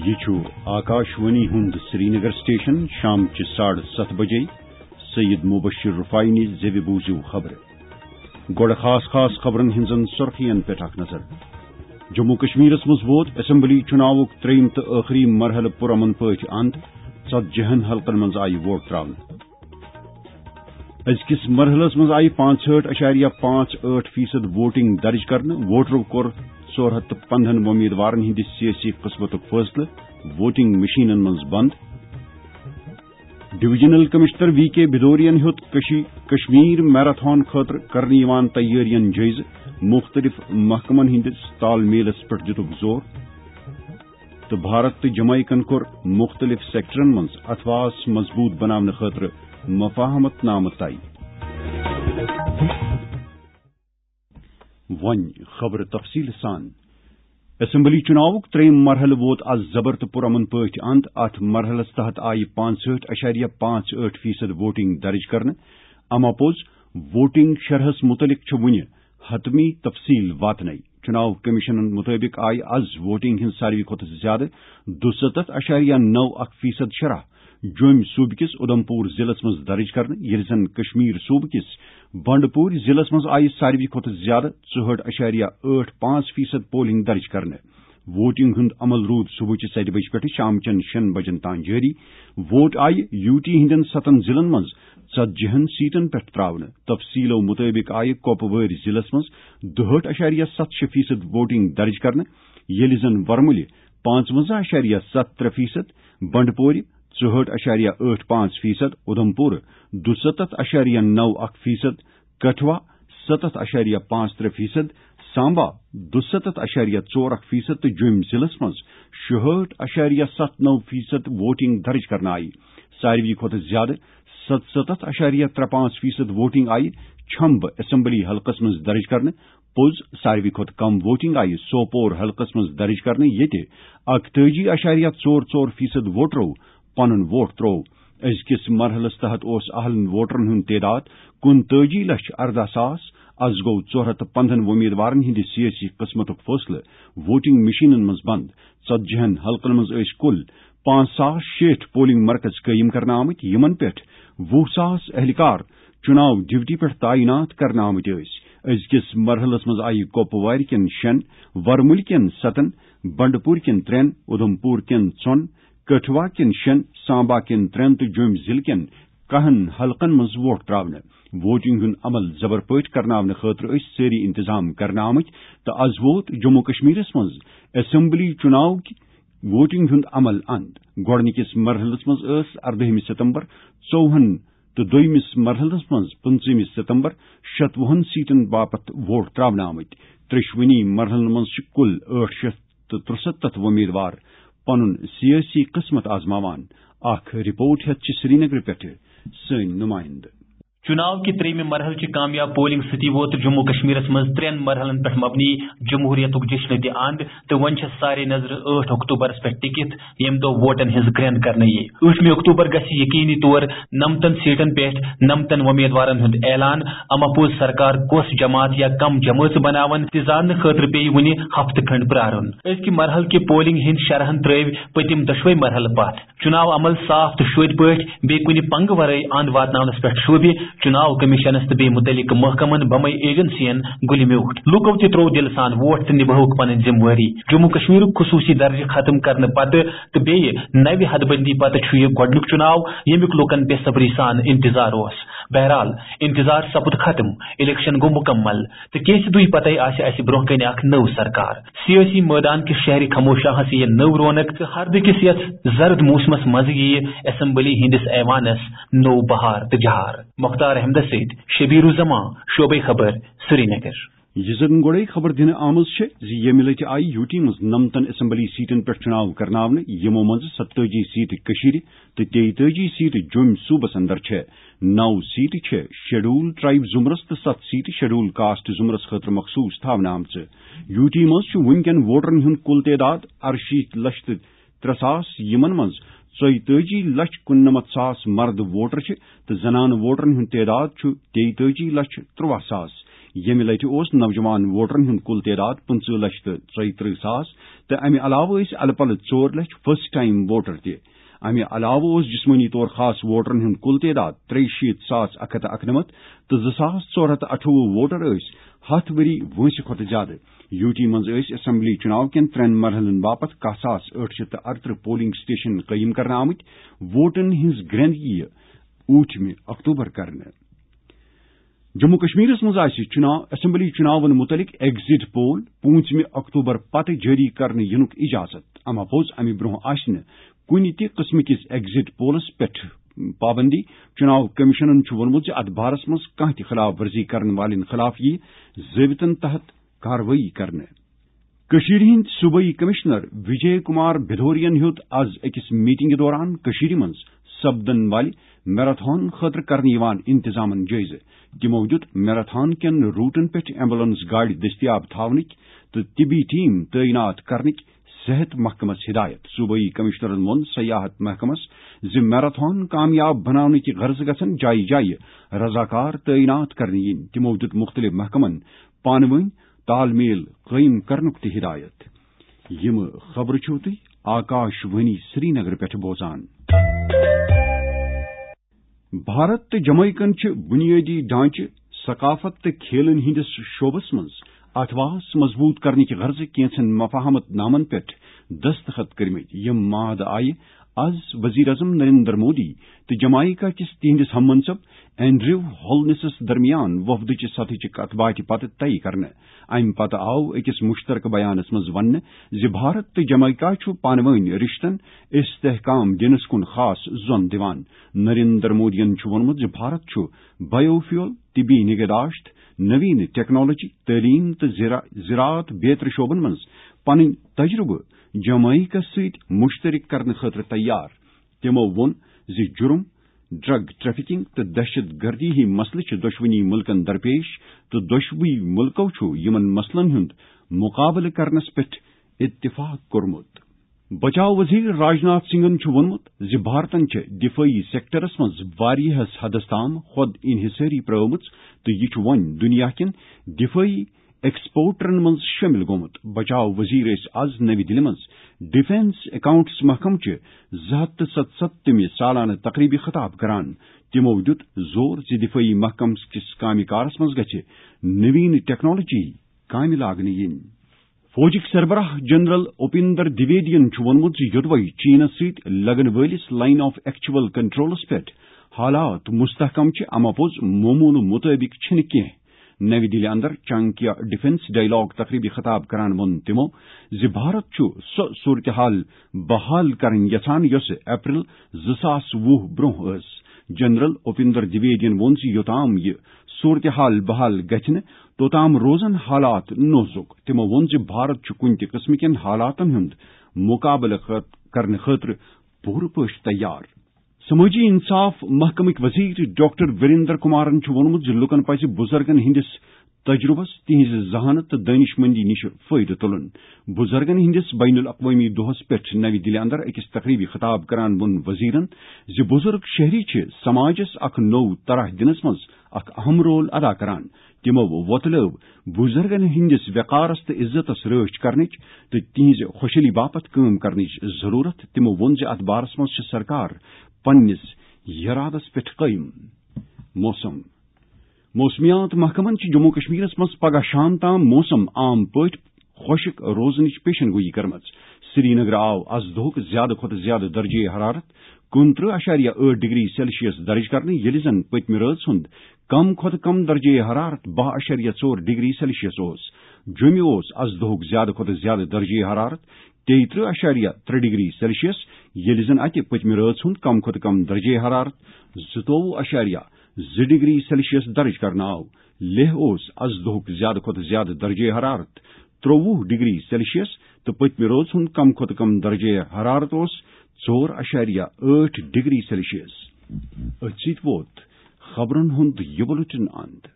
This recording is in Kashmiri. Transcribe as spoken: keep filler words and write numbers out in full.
یہِ چھُ آکاشوانی ہُنٛد سرینگر سٹیشن۔ شام چہِ ساڑٕ ستھ بجے سید مبشر رفاعی نِش زیوِ بوٗزِو خبرٕ۔ گۄڈٕ خاص خاص خبرن ہٕنٛزن سُرخین پٮ۪ٹھ اکھ نظر۔ جموں کشمیرس منٛز ووت اسمبلی چُناوُک ترٛیٚیِم تہٕ ٲخری مرحلہٕ پُرامن پٲٹھۍ اند۔ ژتجی ہن حلقن منٛز آیہِ ووٹ تراونہٕ۔ أزکِس مرحلس منٛز آیہِ پانٛژہٲٹھ اَشاریہ پانٛژھ ٲٹھ فیصد ووٹنگ درج کرنہٕ۔ ووٹرو کوٚر ژور ہتھ تہٕ پندہن وۄمیدوارن ہٕنٛدِ سیٲسی قٕسمتُک فٲصلہٕ ووٹنگ مشینن منٛز بند۔ ڈویژنل کمشنر وی کے بھدورین ہیوٚت کشی-، کشمیر میراتھن خٲطرٕ کرنہٕ یِوان تیٲرین جٲیزٕ۔ مُختٔلِف محکمن ہٕنٛدِس تال میلس پٮ۪ٹھ دِتُکھ زور۔ تہٕ بھارت تہٕ جمائیکن کوٚر مُختٔلِف سیکٹرن منٛز اتھواس مضبوٗط بناونہٕ خٲطرٕ مفاہمت نامہٕ طے۔ وۄنۍ خبرٕ تفصیٖل سان۔ اسمبلی چُناوُک ترٛیٚیِم مرحلہٕ ووت از زبر تہٕ پُرامن پٲٹھۍ اند۔ اتھ مرحلس تحت آیہِ پانٛژہٲٹھ اَشاریہ پانٛژھ ٲٹھ فیصد ووٹنگ درج کرنہٕ۔ اما پوٚز، ووٹنگ شرحس مُتعلق چھُ وُنہِ حتمی تفصیل واتنَے۔ چُناو کمیشنن مُطٲبِق آیہِ از ووٹنگ ہٕنٛز ساروی کھۄتہٕ زیادٕ دُسَتتھ اَشاریہ نَو اَکھ فیصد شرح جوٚمۍ صوٗبہٕ کِس اُدھمپور ضلعس منٛز درٕج کرنہٕ، ییٚلہِ زن کشمیر صوٗبہٕ کِس بنڈپور ضلعس منٛز آیہِ ساروی کھۄتہٕ زیادٕ ژُہٲٹھ اَشاریہ ٲٹھ پانٛژھ فیصد پولنگ درٕج کرنہٕ۔ ووٹنگ ہُنٛد عمل روٗد صبحٕچہِ ستہِ بجہِ پٮ۪ٹھٕ شامچٮ۪ن شیٚن بجن تام جٲری۔ ووٹ آیہِ یوٗ ٹی ہٕنٛدٮ۪ن ستن ضلعن منٛز ژتجی ہن سیٹن پٮ۪ٹھ تراونہٕ۔ تفصیلو مُطٲبِق آیہِ کۄپوٲرۍ ضلعس منٛز دُہٲٹھ اَشاریہ ستھ شےٚ فیصد ووٹنگ درٕج کرنہٕ، ییٚلہِ زن ورمُلہِ پانٛژونٛزاہ اَشاریہ ستھ ترٛےٚ فیصد، بنڈپورِ ژُہٲٹھ اَشاریہ ٲٹھ پانٛژھ فیصد، اُدھمپور دُسَتتھ اَشاریہ نَو اَکھ فیصد، کٹھوا ستتھ اَشاریہ پانٛژھ ترٛےٚ فیصد، سامبا دُسَتتھ اَشاریہ ژور اَکھ فیصد تہٕ جوٚمۍ ضلعس منٛز شُہٲٹھ اَشاریہ ستھ نَو فیصد ووٹنگ درٕج کرنہٕ آیہِ۔ ساروی کھۄتہٕ زیادٕ ستستتھ اَشاریہ ترٛےٚ پانٛژھ فیصد ووٹنگ آیہِ چھمبہٕ اسمبلی حلقس منٛز درٕج کرنہٕ۔ پوٚز، ساروی کھۄتہٕ کم ووٹنگ آیہِ سوپور حلقس منٛز درٕج کرنہٕ، ییٚتہِ اَکتٲجی اَشاریہ ژور ژور فیصد ووٹرو پنُن ووٹ تروو۔ أزکِس مرحلس تحت اوس اہلن ووٹرن ہُنٛد تعداد کُنتٲجی لچھ ارداہ ساس۔ از گوٚو ژور ہتھ تہٕ پندہن وۄمیدوارن ہٕنٛدِ سیٲسی قٕسمتُک فٲصلہٕ ووٹنگ مشینن منٛز بند۔ ژتجی ہن حلقن منٛز ٲسۍ کُل پانٛژھ ساس شیٹھ پولنگ مرکز قٲیِم کرنہٕ آمٕتۍ، یِمن پٮ۪ٹھ وُہ ساس اہلکار چُناو ڈیوٹی پٮ۪ٹھ تعینات کرنہٕ آمٕتۍ ٲسۍ۔ أزکِس مرحلس منٛز آیہِ کۄپوارِ کٮ۪ن شٮ۪ن، ورمُلہِ کٮ۪ن ستن، بنڈپور کٮ۪ن ترٛٮ۪ن، اُدھمپور کٮ۪ن ژۄن، کٹھوا کٮ۪ن شٮ۪ن، سامبا کٮ۪ن ترٛٮ۪ن تہٕ جوٚمۍ ضلعہٕ کٮ۪ن کہن حلقن منٛز ووٹ تراونہٕ۔ ووٹنگ ہُنٛد عمل زبر پٲٹھۍ کرناونہٕ خٲطرٕ ٲسۍ سٲری انتظام کرنہٕ آمٕتۍ تہٕ از ووت جموں کشمیرس منٛز اسمبلی چُناو کہِ ووٹنگ ہُنٛد عمل اند۔ گۄڈٕنِکِس مرحلس منٛز ٲس اردٲہمہِ ستمبر ژووُہن تہٕ دوٚیمِس مرحلس منٛز پٕنٛژٕہمہِ ستمبر شتوُہن سیٹن باپتھ ووٹ تراونہٕ آمٕتۍ۔ ترٛیٚشوٕنی مرحلن منٛز چھِ کُل ٲٹھ شیتھ تہٕ ترُسَتتھ وۄمیدوار پنُن سیٲسی قٕسمت آزماوان۔ اکھ رپورٹ ہیتھ چھِ سرینگرٕ پٮ۪ٹھٕ سٲنۍ نُمٲیندٕ۔ چُناو کہِ ترٛیٚیمہِ مرحلہٕ چہِ کامیاب پولنگ سۭتی ووت جموں کشمیرس منٛز ترٛٮ۪ن مرحلن پٮ۪ٹھ مبنی جمہوریتُک جشن تہِ اند تہٕ وۄنۍ چھےٚ سارے نظرٕ ٲٹھ اکتوبرس پٮ۪ٹھ ٹِکِتھ، ییٚمہِ دۄہ ووٹن ہٕنٛز گرٛینٛد کرنہٕ یِیہِ۔ ٲٹھمہِ اکتوبر گژھِ یقینی طور نمتن سیٹن پٮ۪ٹھ نمتن وۄمیدوارن ہُنٛد اعلان۔ اما پوٚز سرکار کۄس جماعت یا کم جمٲژ بناون تہِ زاننہٕ خٲطرٕ پیٚیہِ وُنہِ ہفتہٕ کھنڈ پرارُن۔ أزکہِ مرحلہٕ کہِ پولنگ ہٕنٛدۍ شرحن ترٲوۍ پٔتِم دۄشوے مرحلہٕ پتھ۔ چُناو عمل صاف تہٕ شوٚدۍ پٲٹھۍ بیٚیہِ کُنہِ پنگہٕ ورٲے اند واتناونس پٮ۪ٹھ شوٗبہِ چُناو کمیشنس تہٕ بیٚیہِ مُتعلقہٕ محکمن بمے ایجنسین گُلہِ میوٗٹھ۔ لوٗکو تہِ تروو دِلہٕ سان ووٹ تہٕ نِبٲوٕکھ پنٕنۍ ذمہٕ وٲری۔ جموں کشمیرُک خصوٗصی درجہٕ ختم کرنہٕ پتہٕ تہٕ بیٚیہِ نوِ حدبندی پتہٕ چھُ یہِ گۄڈٕنیُک چُناو، ییٚمیُک لوٗکن بے صبری سان انتظار اوس۔ بہرحال، انتظار سپُد ختم، الیکشن گوٚو مُکمل۔ تہٕ کینٛژِ دُہۍ پتے آسہِ اسہِ برونٛہہ کنہِ اکھ نٔو سرکار۔ سیٲسی مٲدان کِس شہرِ خموشاہس یِیہِ نٔو رونق تہٕ ہردٕ کِس یتھ زرد موسمس منٛز یِیہِ اسمبلی ہٕنٛدِس ایوانس نوٚو بہار تہٕ جہار۔ مختار احمدس سۭتۍ شبیر الزمان، شعبے خبر، سرینگر۔ یہِ زن گۄڈے خبر دِنہٕ آمٕژ چھےٚ زِ ییٚمہِ لٹہِ آیہِ یوٗ ٹی منٛز نمتن اسمبلی سیٹن پٮ۪ٹھ چُناو کرناونہٕ، یِمو منٛزٕ ستٲجی سیٹہٕ کٔشیٖرِ تہٕ تیٚیہِ تٲجی سیٹہٕ جوٚمۍ صوٗبس اندر چھےٚ۔ نو سیٹہٕ چھےٚ شیڈول ٹرائب زمرس تہٕ ستھ سیٹہٕ شیڈول کاسٹ زمرس خٲطرٕ مخصوص تھاونہٕ آمژٕ۔ یوٗ ٹی منٛز چھُ وُنکٮ۪ن ووٹرن ہُنٛد کُل تعداد ارشیٖتھ لچھ تہٕ ترٛےٚ ساس، یِمن منٛز ژۄیتٲجی لچھ کُننمتھ ساس مرد ووٹر چھِ تہٕ زنانہٕ ووٹرن ہُنٛد تعداد چھُ تیٚیتٲجی لچھ ترٛواہ ساس۔ ییٚمہِ لٹہِ اوس نوجوان ووٹرن ہُنٛد کُل تعداد پٕنٛژٕہ لچھ تہٕ ژۄیہِ ترٕٛہ ساس، تہٕ امہِ علاوٕ ٲسۍ الہٕ پلہٕ ژور لچھ فرسٹ ٹائم ووٹر تہِ۔ امہِ علاوٕ اوس جسمٲنی طور خاص ووٹرن ہُنٛد کُل تعداد ترٛیہِ شیٖتھ ساس اکھ ہتھ تہٕ اَکنَمَتھ، تہٕ زٕ ساس ژور ہتھ تہٕ اَٹھووُہ ووٹر ٲسۍ ہتھ ؤری وٲنٛسہِ کھۄتہٕ زیادٕ۔ یوٗ ٹی منٛز ٲسۍ اسمبلی چُناو کٮ۪ن ترٛٮ۪ن مرحلن باپتھ کاہ ساس ٲٹھ شیٚتھ تہٕ ارترٕہ پولنگ سٹیشن قٲیِم کرنہٕ آمٕتۍ۔ ووٹن ہٕنٛز گرٛنٛدگی یِیہِ ٲٹھمہِ اکتوبر کرنہٕ۔ جموں کشمیرس منٛز آسہِ چُناو، اسمبلی چُناون مُتعلق ایگزٹ پول پوٗنٛژمہِ اکتوبر پتہٕ جٲری کرنہٕ یِنُک اجازت۔ اما پوٚز، امہِ برٛونٛہہ آسہِ نہٕ کُنہِ تہِ قٕسمہٕ کِس ایگزٹ پولس پٮ۪ٹھ پابندی۔ چُناو کمیشنن چھُ ووٚنمُت زِ اتھ بارس منٛز کانٛہہ تہِ خلاف ورزی کرن والٮ۪ن خلاف یِیہِ ضٲبطن تحت کاروٲیی کرنہٕ۔ کٔشیٖرِ ہٕنٛدۍ صوبٲئی کمشنر وجے کمار بھدوریَن ہیوٚت از أکِس میٹنگہِ دوران کٔشیٖرِ منٛز سپدن والہِ میراتھن خٲطرٕ کرنہٕ یِوان انتظامن جٲیزٕ۔ تِمو دیُت میراتھن کٮ۪ن روٹن پٮ۪ٹھ ایمبولینس گاڑِ دٔستیاب تھاونٕکۍ تہٕ طبی ٹیم تعینات کرنٕکۍ صحت محکمس ہدایت۔ صوبٲئی کمشنرن ووٚن سیاحت محکمس زِ میراتھن کامیاب بناونٕکۍ غرضہٕ گژھن جایہِ جایہِ رضاکار تعینات کرنہٕ یِنۍ۔ تِمو دیُت مُختٔلِف محکمن پانہٕ ؤنۍ تال میل قٲیِم کرنُک تہِ ہدایت۔ یِم خبرٕ چھِو تُہۍ آکاش وانی سرینگر پٮ۪ٹھ بوزان۔ بھارت تہٕ جمائیکن چھِ بنیٲدی ڈھانچہٕ، ثقافت تہٕ کھیلن ہٕنٛدِس شعبس منٛز اتھواس مضبوط کرنٕکہِ غرضہٕ کینٛژن مفاہمت نامن پٮ۪ٹھ دستخط کٔرمٕتۍ۔ یِم معاہدٕ آیہِ از وزیر اعظم نریندر مودی تہٕ جمائیکا کِس تِہنٛدِس ہم منصب اینڈریو ہولنسس درمیان وفدٕچہِ سطحٕچہِ کتھ باتھِ پتہٕ طے کرنہٕ۔ امہِ پتہٕ آو أکِس مشترکہٕ بیانس منٛز وننہٕ زِ بھارت تہٕ جمائیکا چھُ پانہٕ وٲنۍ رشتن استحکام دِنس کُن خاص زون دِوان۔ نریندر مودیَن چھُ ووٚنمُت زِ بھارت چھُ بایو فیول، طبی نگہداشت، نوین ٹیکنالوجی، تعلیم تہٕ زرا-، زراعت بیترِ شعبن منٛز پنٕنۍ تجربہٕ جمائیکس سۭتۍ مشترک کرنہٕ خٲطرٕ تیار۔ تِمو ووٚن زِ جرم، ڈرگ ٹریفکنگ تہٕ دہشت گردی ہٕنٛدۍ مسلہٕ چھِ دۄشوٕنی مُلکن درپیش، تہٕ دۄشوٕے مُلکو چھُ یِمن مسلن ہُنٛد مُقابلہٕ کرنس پٮ۪ٹھ اتفاق کوٚرمُت۔ بچاو وزیر راجناتھ سنگھن چھُ ووٚنمُت زِ بھارتن چھِ دفٲعی سیکٹرس منٛز واریاہس حدس تام خود انحصٲری پرٲومٕژ، تہٕ یہِ چھُ وۄنۍ دُنیا کٮ۪ن دفٲعی ایکسپورٹرن منٛز شٲمِل گوٚمُت۔ بچاو وزیر ٲسۍ از نَوِ دِلہِ منٛز ڈیفنس اکاؤنٹس محکمہٕ چہِ زٕ ہتھ تہٕ ستستھمہِ سالانہٕ تقریبہِ خطاب کران۔ تِمو دیُت زور زِ دفٲعی محکمہٕ کِس کامہِ کارس منٛز گژھِ نوین ٹیکنالوجی کامہِ لاگنہٕ یِنۍ۔ فوجٕکۍ سربراہ جنرل اپیندر دویدین چھُ ووٚنمُت زِ یوٚدوے چینس سۭتۍ لگن وٲلِس لائن آف ایکچوئل کنٹرولس پٮ۪ٹھ حالات مستحکم چھِ، اما پوٚز معموٗلہٕ مُطٲبِق چھِنہٕ کینٛہہ۔ نَوِ دِلہِ اندر چانکیا ڈیفنس ڈائیلاگ تقریبہِ خطاب کران ووٚن تِمو زِ بھارت چھُ سۄ صورتحال بحال کرٕنۍ یژھان یۄسہٕ اپریل زٕ ساس وُہ برونٛہہ ٲس۔ جنرل اپیندر دویدین ووٚن زِ یوٚتام یہِ صورتحال بحال گژھِ نہٕ، توٚتام روزن حالات نوزُک۔ تِمو ووٚن زِ بھارت چھُ کُنہِ تہِ قٕسمہٕ کٮ۪ن حالاتن ہُنٛد مُقابلہٕ خٲط-، کرنہٕ خٲطرٕ پوٗرٕ پٲٹھۍ تیار۔ سمٲجی انصاف محکمٕکۍ وزیر ڈاکٹر وریندر کمارن چھُ ووٚنمُت زِ لوٗکن پزِ بُزرگن ہٕنٛدِس تجرُبس، تِہنٛزِ ذہانت تہٕ دٲنِش مندی نِش فٲیدٕ تُلُن۔ بُزرگن ہٕنٛدِس بین الاقوٲمی دۄہس پٮ۪ٹھ نَوِ دِلہِ اندر أکِس تقریبہِ خطاب کران ووٚن وزیرن زِ بُزرگ شہری چھِ سماجس اکھ نوٚو طرح دِنس منٛز اکھ اہم رول ادا کران۔ تِمو وۄتلٲو بُزرگن ہٕنٛدِس وقارس تہٕ عزتس رٲچھ کرنٕچ تہٕ تِہنٛزِ خۄشحٲلی باپتھ کٲم کرنٕچ ضروٗرت۔ تِمو ووٚن زِ اتھ بارس منٛز چھِ سرکار پننِس یرادس پٮ۪ٹھ قٲیِم۔ موسم۔ موسمیات محکمن چھِ جموں کشمیرس منٛز پگہہ شام تام موسم عام پٲٹھۍ خۄشک روزنٕچ پیشن گویی کٔرمٕژ۔ سرینگر آو از دۄہُک زیادٕ کھۄتہٕ زیادٕ درجہ حرارت کُنترٕہ اَشاریہ ٲٹھ ڈگری سیلسیس درج کرنہٕ، ییٚلہِ زن پٔتمہِ رٲژ ہُنٛد کم کھۄتہٕ کم درجہ حرارت باہ اَشاریہ ژور ڈگری سیلسیس اوس۔ جوٚمہِ اوس از دۄہُک زیادٕ کھۄتہٕ زیادٕ درجہ حرارت تیٚیہِ ترٕہ اَشاریہ ترٛےٚ ڈگری سیلسیس، ییٚلہِ زن اتہِ پٔتمہِ رٲژ ہُنٛد کم کھۄتہٕ کم درجہ حرارت زٕتووُہ اَشاریہ زٕ ڈگری سیلسیس درج کرنہٕ آو۔ لیہہ اوس از دۄہُک زیادٕ کھۄتہٕ زیادٕ درجہ حرارت ترٛووُہ ڈگری سیلسیس تہٕ پٔتمہِ رٲژ ہُنٛد کم کھۄتہٕ کم درجہ حرارت اوس ژور اَشاریہ ٲٹھ ڈگری سیلسیس۔ أتھۍ سۭتۍ ووت خبرن ہُنٛد یہِ بُلٹن اند۔